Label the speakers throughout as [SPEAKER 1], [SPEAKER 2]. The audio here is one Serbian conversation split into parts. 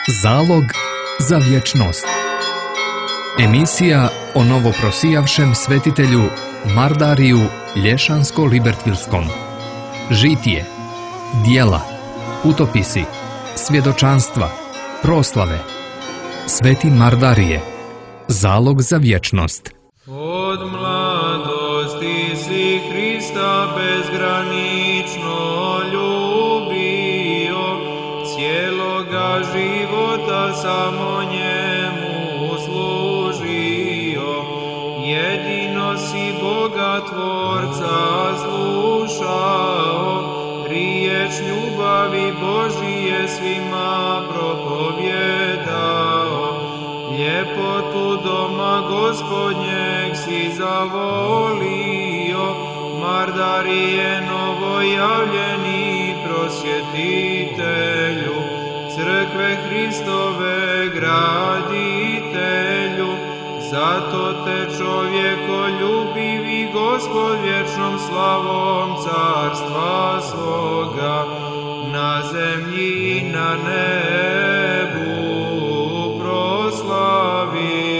[SPEAKER 1] Zalog za vječnost. Emisija o novoprosijavšem svetitelju Mardariju Lješansko-Libertvilskom. Žitije, dijela, putopisi, svjedočanstva, proslave. Sveti Mardarije. Zalog za vječnost.
[SPEAKER 2] Od mladosti si Hrista bezgranično ljubio, cijeloga života samo njemu služio. Jedino si Boga Tvorca slušao, riječ ljubavi Božije svima propovjedao. Ljepotu doma Gospodnjeg si zavolio, Mardarije novojavljeni prosvjetitelju, crkve Hristove graditelju. Zato te čovjekoljubivi Gospod vječnom slavom carstva svoga na zemlji i na nebu proslavi.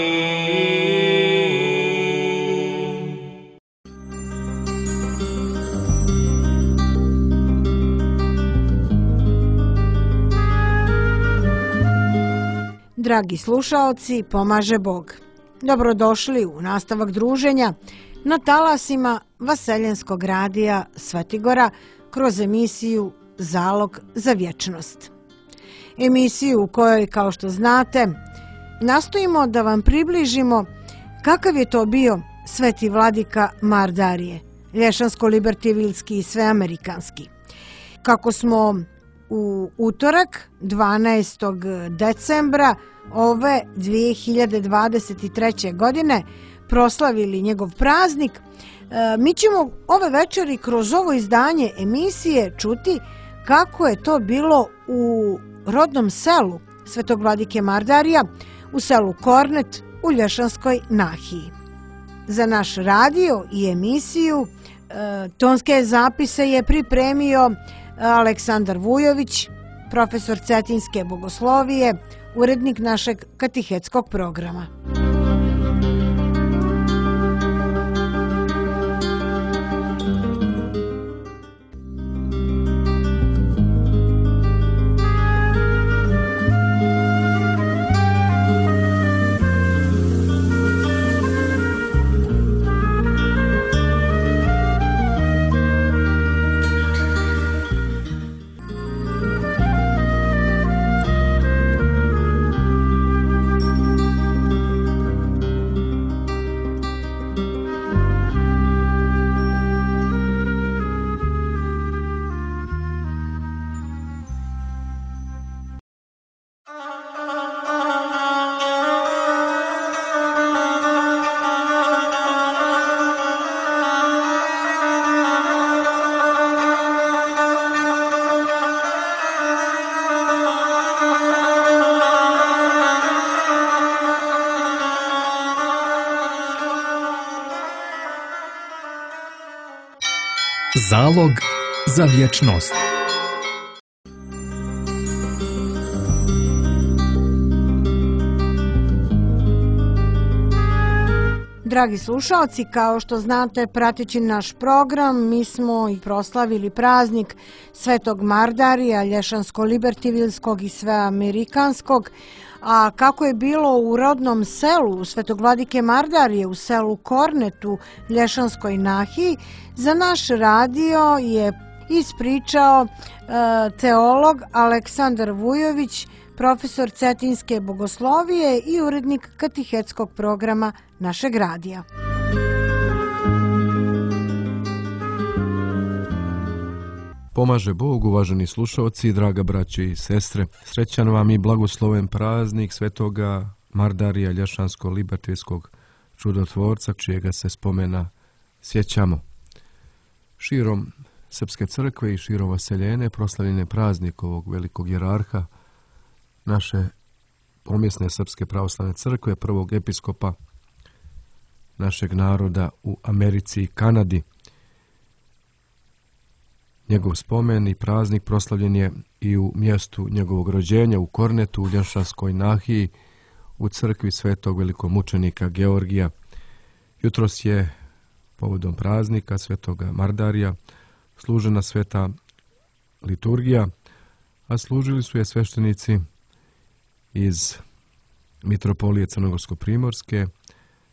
[SPEAKER 3] Dragi slušaoci, pomaže Bog. Dobrodošli u nastavak druženja na talasima Vaseljenskog radija Svetigora kroz emisiju Zalog za vječnost. Emisiju u kojoj, kao što znate, nastojimo da vam približimo kakav je to bio sveti vladika Mardarije, lješansko-libertivilski i sveamerikanski. Kako smo u utorak 12. decembra ove 2023. godine proslavili njegov praznik, mi ćemo ove večeri kroz ovo izdanje emisije čuti kako je to bilo u rodnom selu svetog vladike Mardarija, u selu Kornet u Lješanskoj nahiji. Za naš radio i emisiju tonske zapise je pripremio Aleksandar Vujović, profesor Cetinske bogoslovije, urednik našeg katehetskog programa.
[SPEAKER 1] Zalog za vječnost.
[SPEAKER 3] Dragi slušalci, kao što znate, prateći naš program, mi smo i proslavili praznik svetog Mardarija, lješansko-libertivilskog i sveamerikanskog. A kako je bilo u rodnom selu svetog vladike Mardarije, u selu Kornetu, Lješanskoj nahiji, za naš radio je ispričao teolog Aleksandar Vujović, profesor Cetinske bogoslovije i urednik katehetskog programa našeg radija.
[SPEAKER 4] Pomaže Bog, uvaženi slušalci, draga braće i sestre. Srećan vam i blagosloven praznik svetoga Mardarija Lješansko-Libertvilskog čudotvorca, čijega se spomena sjećamo. Širom Srpske crkve i širom Vaseljene proslavljen je praznik ovog velikog jerarha naše pomjesne Srpske pravoslavne crkve, prvog episkopa našeg naroda u Americi i Kanadi. Njegov spomen i praznik proslavljen je i u mjestu njegovog rođenja u Kornetu, u Lješanskoj nahiji, u crkvi svetog velikomučenika Georgija. Jutros je povodom praznika svetoga Mardarija služena sveta liturgija, a služili su je sveštenici iz Mitropolije Crnogorsko-primorske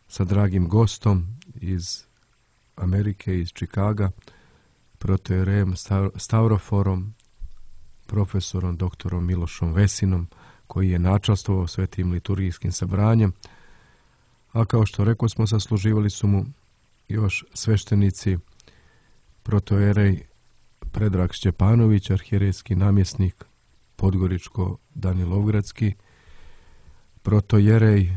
[SPEAKER 4] sa dragim gostom iz Amerike, iz Čikaga, protojerejem Stavroforom, profesorom doktorom Milošom Vesinom, koji je načastvovao svetim liturgijskim sabranjem, a kao što rekao smo, sasluživali su mu još sveštenici protojerej Predrag Šćepanović, arhijerejski namjesnik Podgoričko-Danilovgradski, protojerej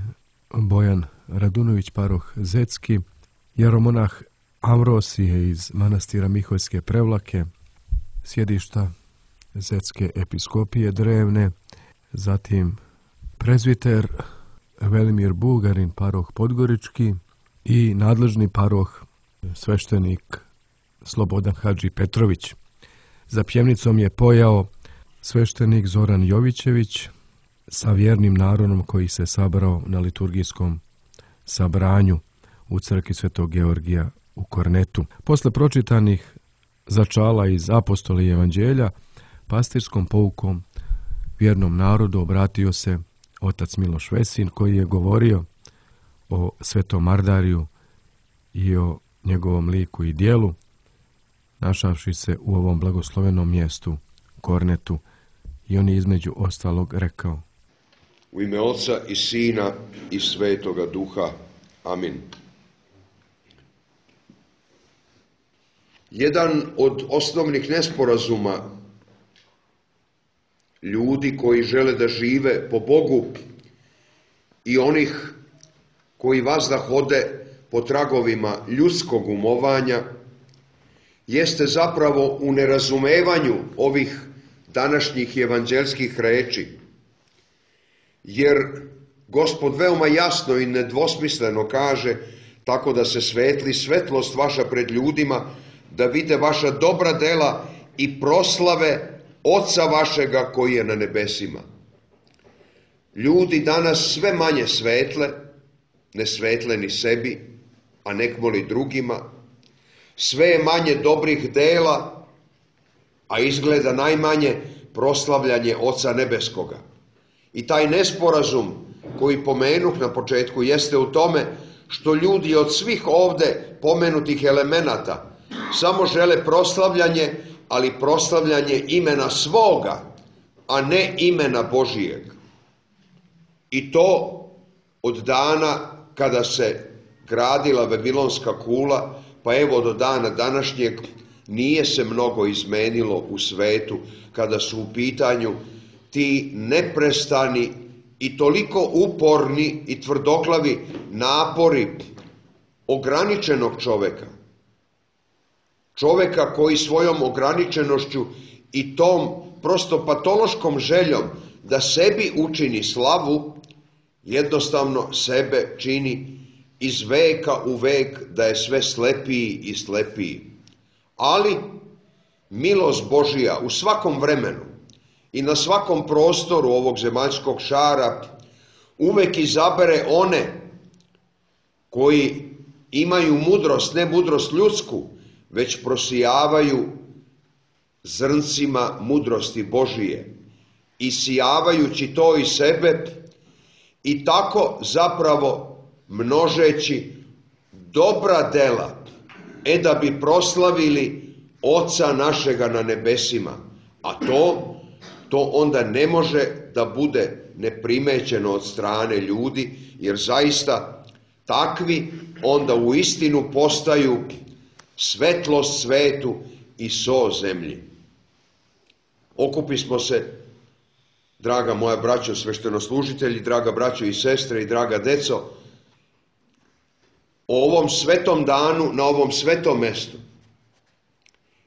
[SPEAKER 4] Bojan Radunović, paroh Zetski, jeromonah Amvrosije iz manastira Miholjske Prevlake, sjedišta Zetske episkopije Drevne, zatim prezviter Velimir Bugarin, paroh Podgorički, i nadležni paroh sveštenik Slobodan Hadži Petrović. Za pjevnicom je pojao sveštenik Zoran Jovićević sa vjernim narodom koji se sabrao na liturgijskom sabranju u crkvi svetog Georgija u Kornetu. Posle pročitanih začala iz Apostoli i Evanđelja, pastirskom poukom vjernom narodu obratio se otac Miloš Vesin, koji je govorio o svetom Mardariju i o njegovom liku i dijelu, našavši se u ovom blagoslovenom mjestu, Kornetu, i on je između ostalog rekao:
[SPEAKER 5] U ime Oca i Sina i Svetoga Duha. Amin. Jedan od osnovnih nesporazuma ljudi koji žele da žive po Bogu i onih koji vazda hode po tragovima ljudskog umovanja jeste zapravo u nerazumevanju ovih današnjih evanđelskih reči. Jer Gospod veoma jasno i nedvosmisleno kaže: tako da se svetli svetlost vaša pred ljudima, da vide vaša dobra dela i proslave Oca vašega koji je na nebesima. Ljudi danas sve manje svetle, ne svetle ni sebi, a nekmoli drugima. Sve je manje dobrih dela, a izgleda najmanje proslavljanje Oca nebeskoga. I taj nesporazum koji pomenuh na početku jeste u tome što ljudi od svih ovde pomenutih elemenata samo žele proslavljanje, ali proslavljanje imena svoga, a ne imena Božijeg. I to od dana kada se gradila Vavilonska kula, pa evo do dana današnjeg nije se mnogo izmenilo u svetu kada su u pitanju ti neprestani i toliko uporni i tvrdoglavi napori ograničenog čoveka. Čoveka koji svojom ograničenošću i tom prosto patološkom željom da sebi učini slavu, jednostavno sebe čini iz veka u vek da je sve slepiji i slepiji. Ali milost Božija u svakom vremenu i na svakom prostoru ovog zemaljskog šara uvek izabere one koji imaju mudrost, ne mudrost ljudsku, već prosijavaju zrncima mudrosti Božije, isijavajući to iz sebe i tako zapravo množeći dobra dela, da bi proslavili Oca našega na nebesima. A to onda ne može da bude neprimećeno od strane ljudi, jer zaista takvi onda u istinu postaju svetlost svetu i so zemlji. Okupismo se, draga moja braćo sveštenoslužitelji, draga braćo i sestre i draga deco, o ovom svetom danu na ovom svetom mestu.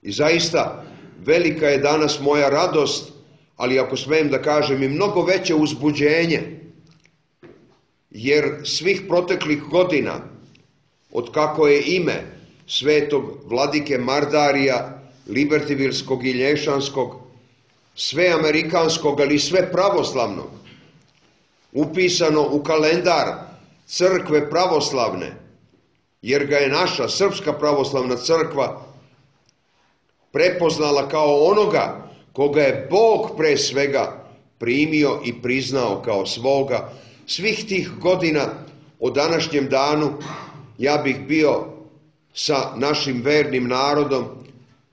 [SPEAKER 5] I zaista velika je danas moja radost, ali ako smijem da kažem i mnogo veće uzbuđenje, jer svih proteklih godina, od kako je ime svetog vladike Mardarija, Libertivilskog i Lješanskog, sve amerikanskog, ali sve pravoslavnog, upisano u kalendar crkve pravoslavne, jer ga je naša Srpska pravoslavna crkva prepoznala kao onoga koga je Bog pre svega primio i priznao kao svoga. Svih tih godina o današnjem danu ja bih bio sa našim vernim narodom,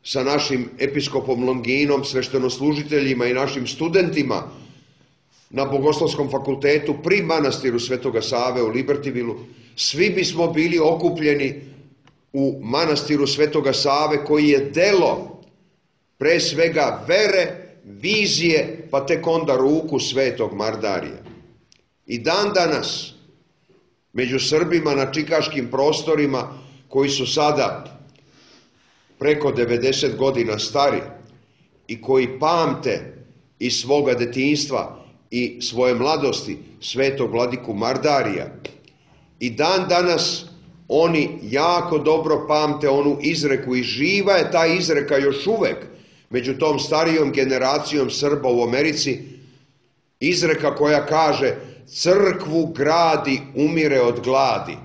[SPEAKER 5] sa našim episkopom Longinom, sveštenoslužiteljima i našim studentima na Bogoslovskom fakultetu pri manastiru Svetoga Save u Libertyvilu. Svi bismo bili okupljeni u manastiru Svetoga Save, koji je delo pre svega vere, vizije, pa tek onda ruku Svetog Mardarija. I dan danas među Srbima na čikaškim prostorima, koji su sada preko 90 godina stari i koji pamte iz svoga detinjstva i svoje mladosti Svetog vladiku Mardarija, i dan danas oni jako dobro pamte onu izreku, i živa je ta izreka još uvek među tom starijom generacijom Srba u Americi, izreka koja kaže: crkvu gradi, umire od gladi.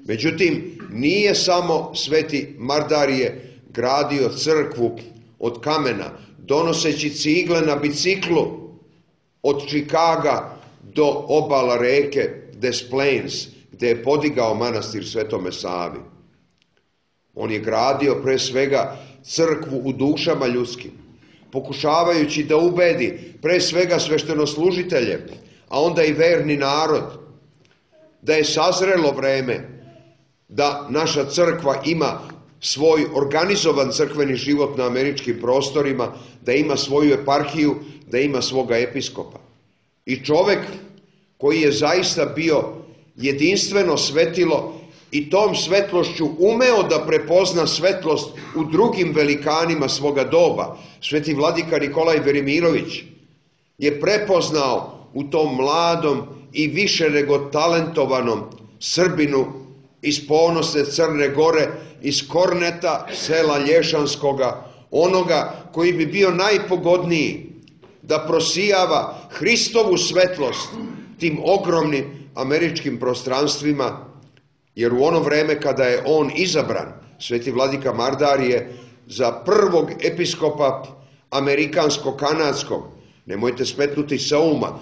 [SPEAKER 5] Međutim, nije samo Sveti Mardarije gradio crkvu od kamena, donoseći cigle na biciklu od Čikaga do obala reke Des Plaines, gde je podigao manastir Svetome Savi. On je gradio pre svega crkvu u dušama ljudskim, pokušavajući da ubedi pre svega sveštenoslužitelje, a onda i verni narod, da je sazrelo vreme da naša crkva ima svoj organizovan crkveni život na američkim prostorima, da ima svoju eparhiju, da ima svoga episkopa. I čovek koji je zaista bio jedinstveno svetilo i tom svetlošću umeo da prepozna svetlost u drugim velikanima svoga doba. Sveti vladika Nikolaj Velimirović je prepoznao u tom mladom i više nego talentovanom Srbinu iz ponosne Crne Gore, iz Korneta, sela Lješanskoga, onoga koji bi bio najpogodniji da prosijava Hristovu svetlost tim ogromnim američkim prostranstvima, jer u ono vreme kada je on izabran, Sveti vladika Mardarije, za prvog episkopa amerikansko-kanadskog, nemojte smetnuti sa uma,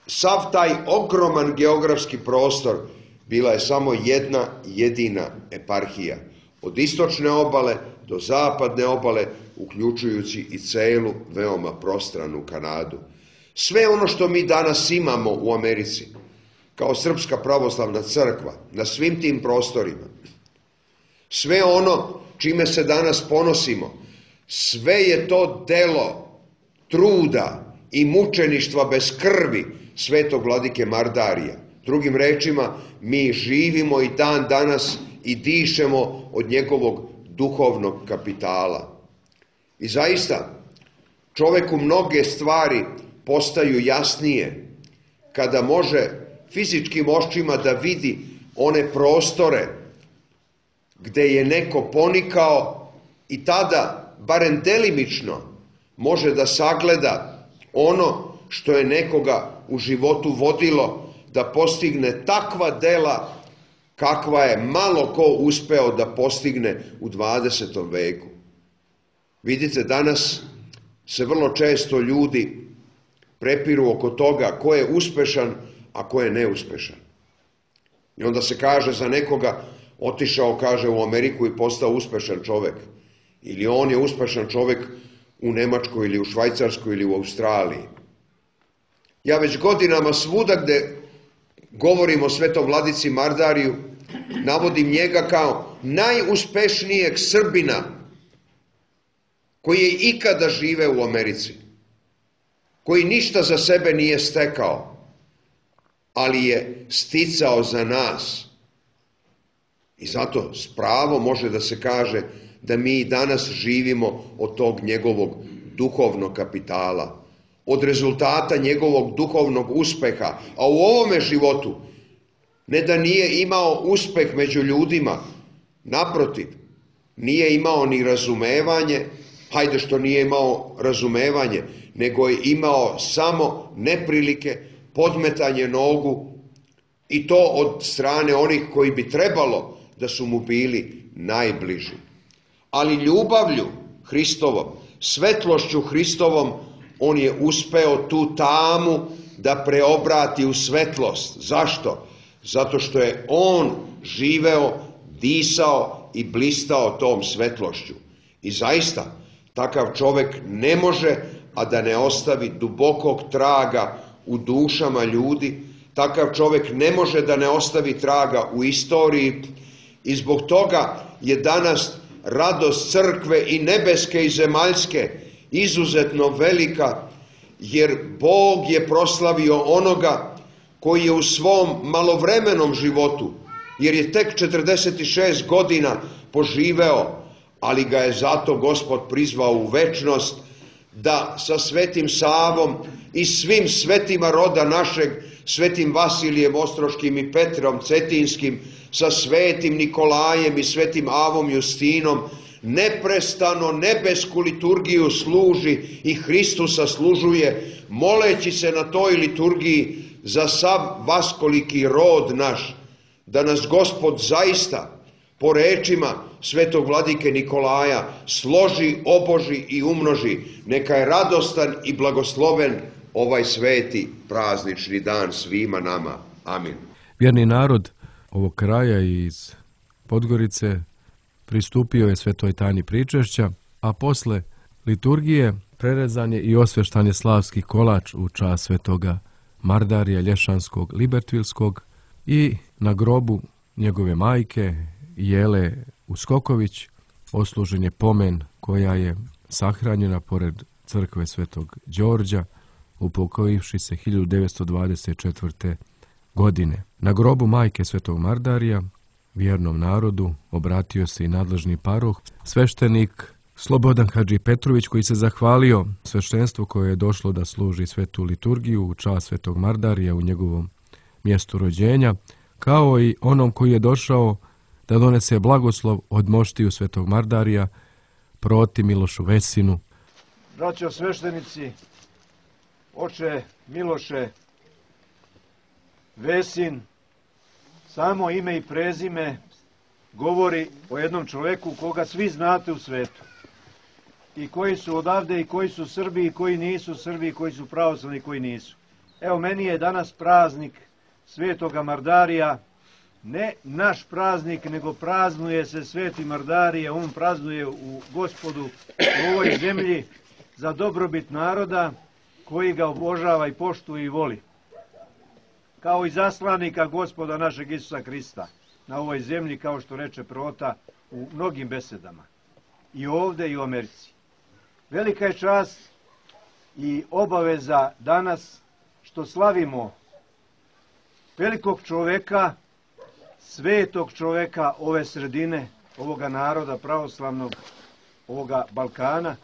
[SPEAKER 5] sav taj ogroman geografski prostor bila je samo jedna jedina eparhija, od istočne obale do zapadne obale, uključujući i celu veoma prostranu Kanadu. Sve ono što mi danas imamo u Americi, kao Srpska pravoslavna crkva, na svim tim prostorima, sve ono čime se danas ponosimo, sve je to delo truda i mučeništva bez krvi Svetog vladike Mardarija. Drugim rečima, mi živimo i dan danas i dišemo od njegovog duhovnog kapitala. I zaista, čoveku mnoge stvari postaju jasnije kada može fizičkim očima da vidi one prostore gde je neko ponikao i tada, barem delimično, može da sagleda ono što je nekoga u životu vodilo da postigne takva dela kakva je malo ko uspeo da postigne u 20. veku. Vidite, danas se vrlo često ljudi prepiru oko toga ko je uspešan, a ko je neuspešan. I onda se kaže za nekoga, otišao, kaže, u Ameriku i postao uspešan čovek. Ili on je uspešan čovek u Nemačkoj ili u Švajcarskoj ili u Australiji. Ja već godinama svuda gde govorim o Svetom vladici Mardariju, navodim njega kao najuspešnijeg Srbina koji je ikada živeo u Americi, koji ništa za sebe nije stekao, ali je sticao za nas. I zato s pravom može da se kaže da mi danas živimo od tog njegovog duhovnog kapitala, od rezultata njegovog duhovnog uspeha. A u ovome životu ne da nije imao uspeh među ljudima, naprotiv, nije imao ni razumevanje, hajde što nije imao razumevanje, nego je imao samo neprilike, podmetanje nogu, i to od strane onih koji bi trebalo da su mu bili najbliži. Ali ljubavlju Hristovom, svetlošću Hristovom, on je uspeo tu tamu da preobrati u svetlost. Zašto? Zato što je on živeo, disao i blistao tom svetlošću. I zaista, takav čovek ne može, a da ne ostavi dubokog traga u dušama ljudi. Takav čovek ne može da ne ostavi traga u istoriji. I zbog toga je danas radost crkve i nebeske i zemaljske izuzetno velika, jer Bog je proslavio onoga koji je u svom malovremenom životu, jer je tek 46 godina poživeo, ali ga je zato Gospod prizvao u večnost, da sa svetim Savom i svim svetima roda našeg, svetim Vasilijem Ostroškim i Petrom Cetinskim, sa svetim Nikolajem i svetim Avom Justinom, neprestano nebesku liturgiju služi i Hristusa služuje, moleći se na toj liturgiji za sav vaskoliki rod naš, da nas Gospod zaista, po rečima svetog vladike Nikolaja, složi, oboži i umnoži. Neka je radostan i blagosloven ovaj sveti praznični dan svima nama. Amin.
[SPEAKER 4] Vjerni narod ovog kraja iz Podgorice pristupio je svetoj tajni pričešća, a posle liturgije prerezan je i osveštan je slavski kolač u čast svetoga Mardarija Lješanskog Libertvilskog i na grobu njegove majke Jele Uskoković oslužen je pomen koja je sahranjena pored crkve svetog Đorđa, upokojivši se 1924. godine. Na grobu majke svetog Mardarija vjernom narodu obratio se i nadležni paroh, sveštenik Slobodan Hadži Petrović, koji se zahvalio sveštenstvu koje je došlo da služi svetu liturgiju u čast svetog Mardarija u njegovom mjestu rođenja, kao i onom koji je došao da donese blagoslov od moštiju svetog Mardarija proti Milošu Vesinu.
[SPEAKER 6] Braćo sveštenici, oče Miloše Vesin, samo ime i prezime govori o jednom čoveku koga svi znate u svetu. I koji su odavde, i koji su Srbi, i koji nisu Srbi, i koji su pravoslavni, i koji nisu. Evo, meni je danas praznik svetoga Mardarija, ne naš praznik, nego praznuje se sveti Mardarije, on praznuje u Gospodu u ovoj zemlji za dobrobit naroda koji ga obožava i poštuje i voli. Kao i zaslanika Gospoda našeg Isusa Hrista na ovoj zemlji, kao što reče prota u mnogim besedama, i ovde i u Americi. Velika je čast i obaveza danas što slavimo velikog čoveka, svetog čoveka ove sredine, ovoga naroda pravoslavnog, ovoga Balkana,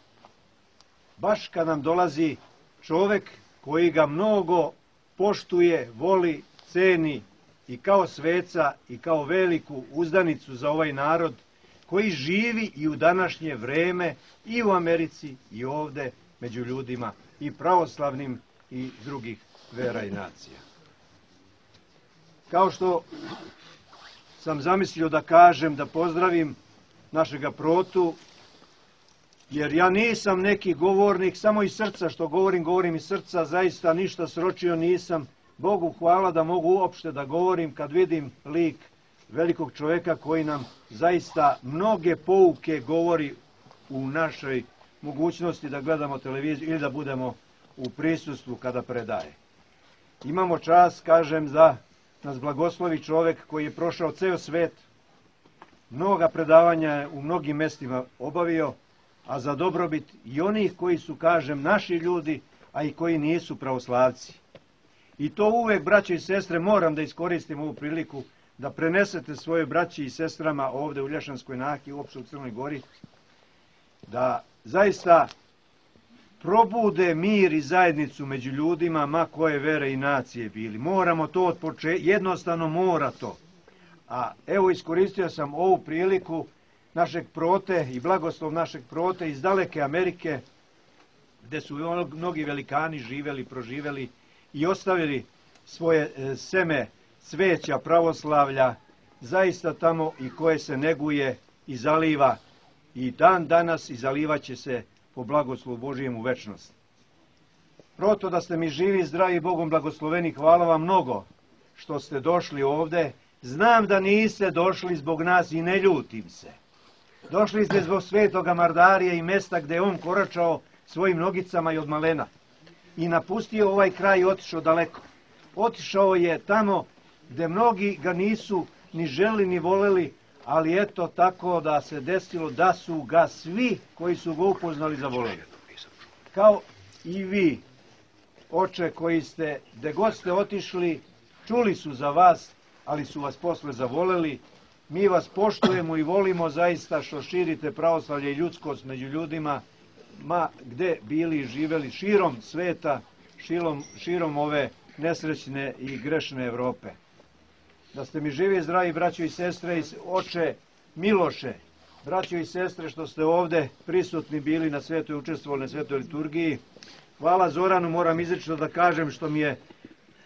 [SPEAKER 6] baš kad nam dolazi čovek koji ga mnogo poštuje, voli, ceni i kao sveca i kao veliku uzdanicu za ovaj narod koji živi i u današnje vreme i u Americi i ovde među ljudima i pravoslavnim i drugih vera i nacija. Kao što sam zamislio da kažem, da pozdravim našega protu, jer ja nisam neki govornik, samo iz srca što govorim iz srca, zaista ništa sročio nisam. Bogu hvala da mogu uopšte da govorim kad vidim lik velikog čoveka koji nam zaista mnoge pouke govori u našoj mogućnosti da gledamo televiziju ili da budemo u prisustvu kada predaje. Imamo čast, kažem, da nas blagoslovi čovek koji je prošao ceo svet, mnoga predavanja je u mnogim mestima obavio, a za dobrobit i onih koji su, kažem, naši ljudi, a i koji nisu pravoslavci. I to uvek, braće i sestre, moram da iskoristim ovu priliku da prenesete svoje braći i sestrama ovde u Lješanskoj Naki, uopšte u Crnoj Gori, da zaista probude mir i zajednicu među ljudima, ma koje vere i nacije bili. Moramo to od početka, jednostavno mora to. A evo, iskoristio sam ovu priliku, našeg prote i blagoslov našeg prote iz daleke Amerike, gde su mnogi velikani živeli, proživeli i ostavili svoje seme cveća pravoslavlja, zaista tamo i koje se neguje i zaliva i dan danas i zalivaće se po blagoslovu Božijem u večnost. Proto da ste mi živi, zdravi, Bogom blagosloveni, hvala vam mnogo što ste došli ovde. Znam da niste došli zbog nas i ne ljutim se. Došli ste zbog svetoga Mardarija i mesta gde je on koračao svojim nogicama i od malena. I napustio ovaj kraj i otišao daleko. Otišao je tamo gde mnogi ga nisu ni želi ni voleli, ali eto tako da se desilo da su ga svi koji su ga upoznali zavoleli. Kao i vi, oče, koji ste, gde god ste otišli, čuli su za vas, ali su vas posle zavoleli. Mi vas poštujemo i volimo zaista što širite pravoslavlje i ljudskost među ljudima, ma gde bili i živeli širom sveta, širom ove nesrećne i grešne Evrope. Da ste mi živi, zdravi, braćo i sestre, i oče Miloše, braćo i sestre, što ste ovde prisutni bili na svetoj, učestvovali na svetoj liturgiji. Hvala Zoranu, moram izrično da kažem, što mi je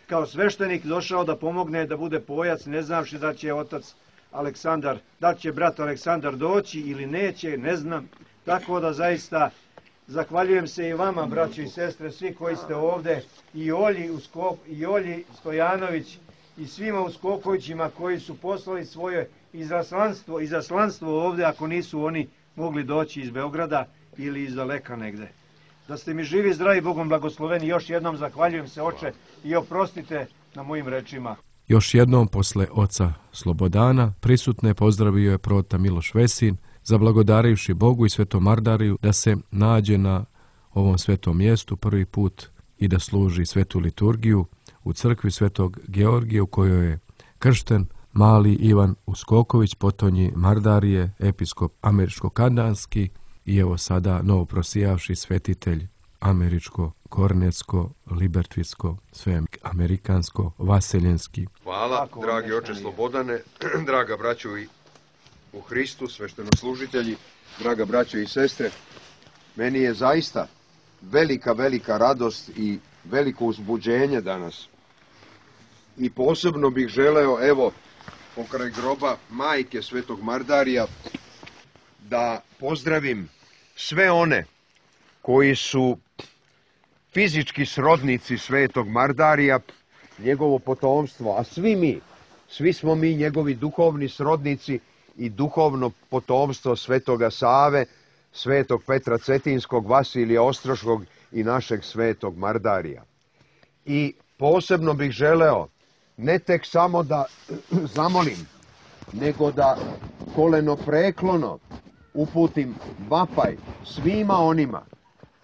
[SPEAKER 6] kao sveštenik došao da pomogne da bude pojac, ne znavši da će otac Aleksandar, da će brat Aleksandar doći ili neće, ne znam. Tako da zaista zahvaljujem se i vama, braćo i sestre, svi koji ste ovde, i Olji Stojanović, i svima u Skokovićima koji su poslali svoje izaslanstvo ovde, ako nisu oni mogli doći iz Beograda ili iz daleka negde. Da ste mi živi, zdravi, Bogom blagosloveni, još jednom zahvaljujem se, oče, i oprostite na mojim rečima.
[SPEAKER 4] Još jednom posle oca Slobodana prisutne pozdravio je prota Miloš Vesin, zablagodarivši Bogu i svetom Mardariju da se nađe na ovom svetom mjestu prvi put i da služi svetu liturgiju u crkvi svetog Georgija, u kojoj je kršten mali Ivan Uskoković, potonji Mardarije, episkop američko-kanadski i evo sada novoprosijavši svetitelj američko-kornetsko, libertvitsko, sve amerikansko, vaseljenski.
[SPEAKER 5] Hvala, dragi oče Slobodane, draga braćo i u Hristu, sveštenoslужitelji, draga braćo i sestre. Meni je zaista velika radost i veliko uzbuđenje danas. I posebno bih želeo, evo, pokraj groba majke svetog Mardarija, da pozdravim sve one koji su fizički srodnici svetog Mardarija, njegovo potomstvo, a svi smo mi njegovi duhovni srodnici i duhovno potomstvo svetoga Save, svetog Petra Cetinskog, Vasilija Ostroškog i našeg svetog Mardarija. I posebno bih želeo ne tek samo da zamolim, nego da kolenopreklono uputim vapaj svima onima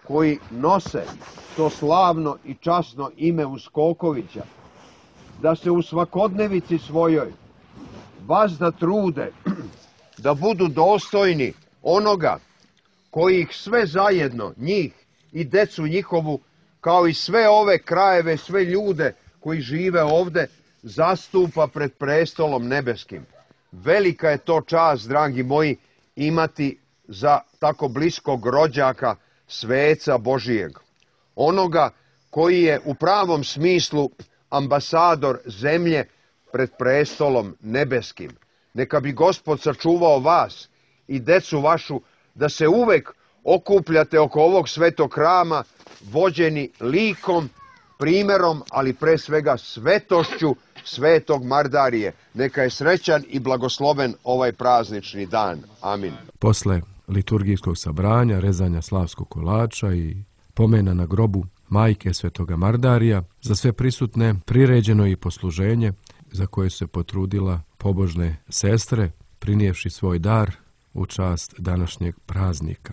[SPEAKER 5] koji nose to slavno i časno ime Uskokovića, da se u svakodnevici svojoj vazda trude da budu dostojni onoga koji ih sve zajedno, njih i decu njihovu, kao i sve ove krajeve, sve ljude koji žive ovde, zastupa pred prestolom nebeskim. Velika je to čast, dragi moji, imati za tako bliskog rođaka sveca Božijeg. Onoga koji je u pravom smislu ambasador zemlje pred prestolom nebeskim. Neka bi Gospod sačuvao vas i decu vašu da se uvek okupljate oko ovog svetog hrama, vođeni likom, primerom, ali pre svega svetošću svetog Mardarije. Neka je srećan i blagosloven ovaj praznični dan. Amin.
[SPEAKER 4] Posle liturgijskog sabranja, rezanja slavskog kolača i pomena na grobu majke svetoga Mardarija, za sve prisutne priređeno i posluženje za koje se potrudila pobožne sestre, prinijevši svoj dar u čast današnjeg praznika.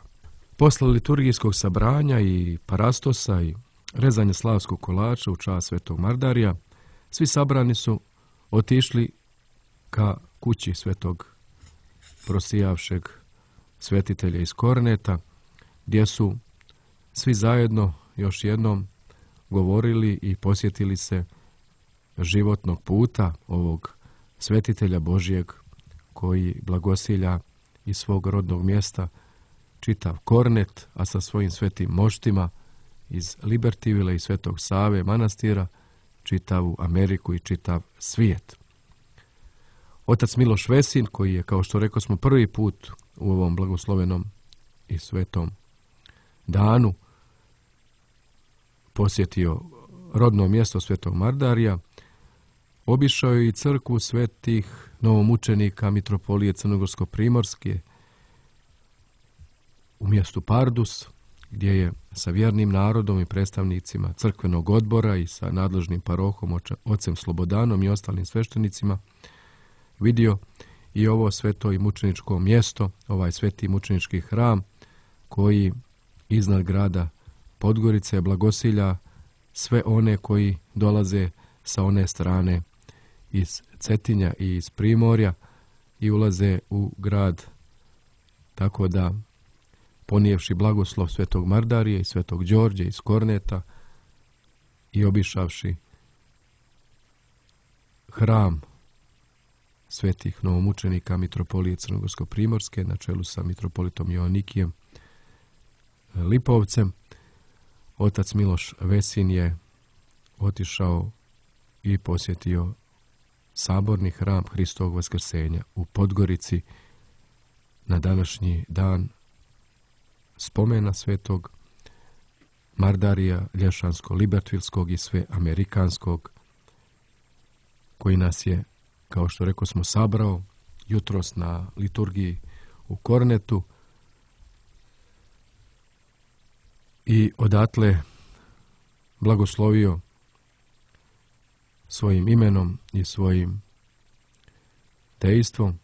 [SPEAKER 4] Posle liturgijskog sabranja i parastosa i rezanja slavskog kolača u čast svetog Mardarija, svi sabrani su otišli ka kući svetog prosijavšeg svetitelja iz Korneta, gdje su svi zajedno još jednom govorili i posjetili se životnog puta ovog svetitelja Božijeg koji blagosilja iz svog rodnog mjesta čitav Kornet, a sa svojim svetim moštima iz Libertyville i Svetog Save manastira čitavu Ameriku i čitav svijet. Otac Miloš Vesin, koji je, kao što rekao smo, prvi put u ovom blagoslovenom i svetom danu posjetio rodno mjesto Svetog Mardarija, obišao je i crkvu svetih novomučenika mitropolije Crnogorsko-primorske u mjestu Pardus, gdje je sa vjernim narodom i predstavnicima crkvenog odbora i sa nadležnim parohom ocem Slobodanom i ostalim sveštenicima vidio i ovo sveto i mučeničko mjesto, ovaj sveti mučenički hram koji iznad grada Podgorice blagosilja sve one koji dolaze sa one strane iz Cetinja i iz Primorja i ulaze u grad, tako da ponijevši blagoslov Svetog Mardarija i Svetog Đorđa iz Korneta i obišavši hram svetih novomučenika mitropolije Crnogorsko-primorske na čelu sa mitropolitom Joanikijem Lipovcem, otac Miloš Vesin je otišao i posjetio saborni hram Hristovog vaskrsenja u Podgorici na današnji dan spomena Svetog Mardarija Lješansko-Libertvilskog i sve Amerikanskog, koji nas je, kao što rekao smo, sabrao jutros na liturgiji u Kornetu i odatle blagoslovio svojim imenom i svojim dejstvom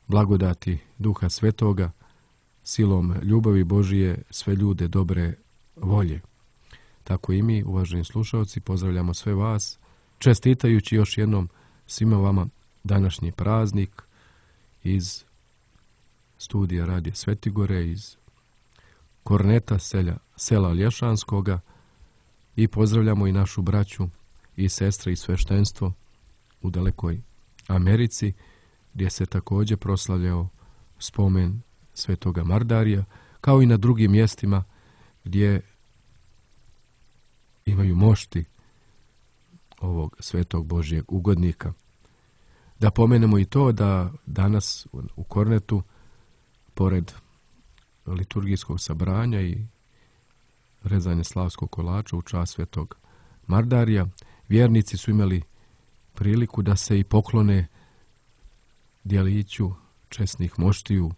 [SPEAKER 4] blagodati Duha Svetoga, silom ljubavi Božije sve ljude dobre volje. Tako i mi, uvaženi slušalci, pozdravljamo sve vas, čestitajući još jednom svima vama današnji praznik iz studija Radija Svetigore, iz Korneta, sela Lješanskoga, i pozdravljamo i našu braću i sestre i sveštenstvo u dalekoj Americi, gdje se također proslavljao spomen Svetoga Mardarija, kao i na drugim mjestima gdje imaju mošti ovog svetog Božjeg ugodnika. Da pomenemo i to da danas u Kornetu, pored liturgijskog sabranja i rezanja slavskog kolača u čast Svetog Mardarija, vjernici su imali priliku da se i poklone djeliću česnih moštiju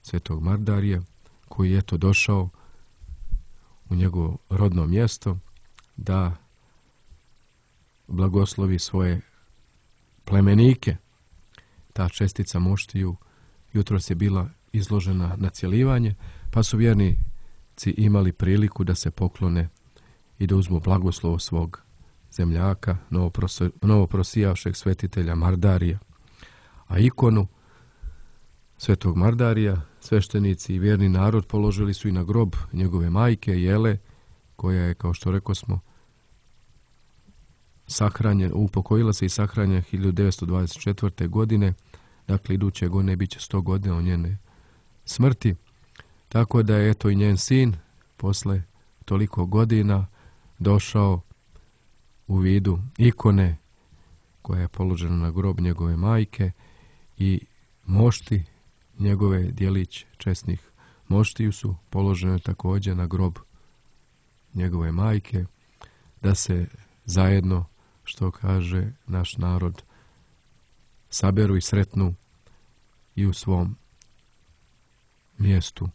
[SPEAKER 4] Svetog Mardarija, koji je to došao u njegovo rodno mjesto da blagoslovi svoje plemenike. Ta čestica moštiju jutros je bila izložena na cjelivanje, pa su vjernici imali priliku da se poklone i da uzmu blagoslov svog zemljaka, novoprosijavšeg svetitelja Mardarija. A ikonu Svetog Mardarija sveštenici i vjerni narod položili su i na grob njegove majke Jele, koja je, kao što rekao smo, upokojila se i sahranjena 1924. godine, dakle iduće godine bit će 100 godina od njene smrti, tako da je eto i njen sin posle toliko godina došao u vidu ikone koja je položena na grob njegove majke i mošti njegove djelić česnih moštiju su položene također na grob njegove majke, da se zajedno, što kaže naš narod, saberu i sretnu i u svom mjestu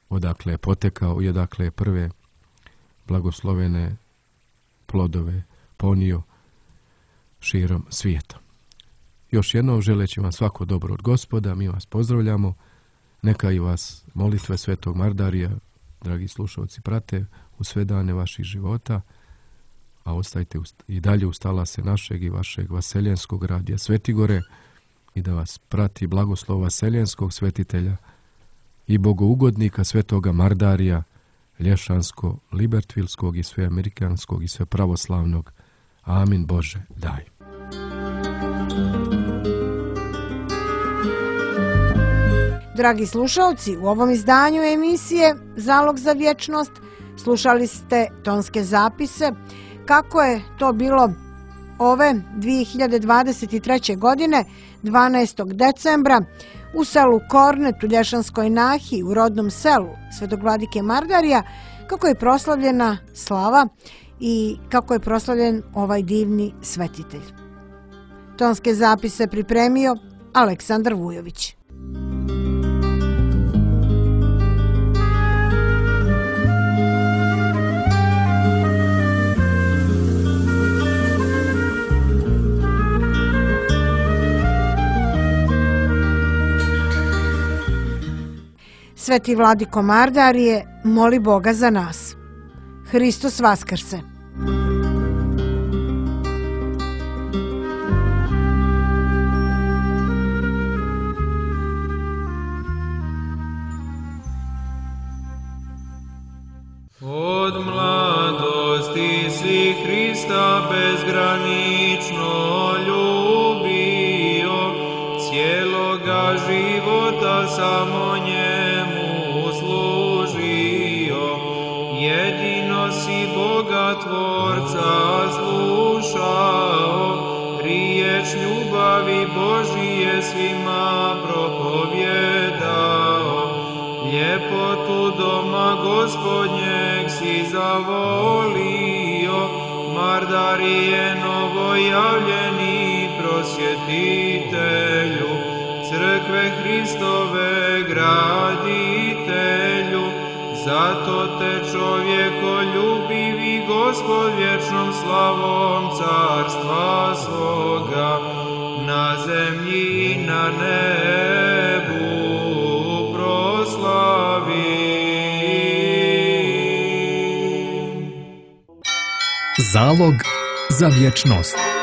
[SPEAKER 4] odakle je potekao i odakle je prve blagoslovene plodove ponio širom svijeta. Još jednom želeći vam svako dobro od Gospoda, mi vas pozdravljamo. Neka i vas molitve Svetog Mardarija, dragi slušalci, prate u sve dane vaših života, a ostajte i dalje uz talase našeg i vašeg vaseljenskog radija Svetigore i da vas prati blagoslov vaseljenskog svetitelja i bogougodnika Svetoga Mardarija, Lješansko, Libertvilskog i sve Amerikanskog i sve pravoslavnog. Amin Bože, daj.
[SPEAKER 3] Dragi slušalci, u ovom izdanju emisije Zalog za vječnost slušali ste tonske zapise kako je to bilo ove 2023. godine 12. decembra u selu Kornet u Lješanskoj Nahiji u rodnom selu Svetog vladike Mardarija, kako je proslavljena slava i kako je proslavljen ovaj divni svetitelj. Tonske zapise pripremio Aleksandar Vujović. Sveti vladiko Mardarije, moli Boga za nas. Hristos vaskrse!
[SPEAKER 2] Od mladosti si Hrista bezgranično ljubio, cijeloga života samo njemu služio. Jedino si Boga Tvorca slušao, riječ ljubavi Božije svima propovjedao. Ljepotu doma Gospodnjeg si zavolio, Mardarije novojavljeni prosvjetitelju, crkve Hristove graditelju. Zato te čovjekoljubivi Gospod vječnom slavom carstva svoga na zemlji i na nebu proslavi.
[SPEAKER 1] Zalog za vječnost.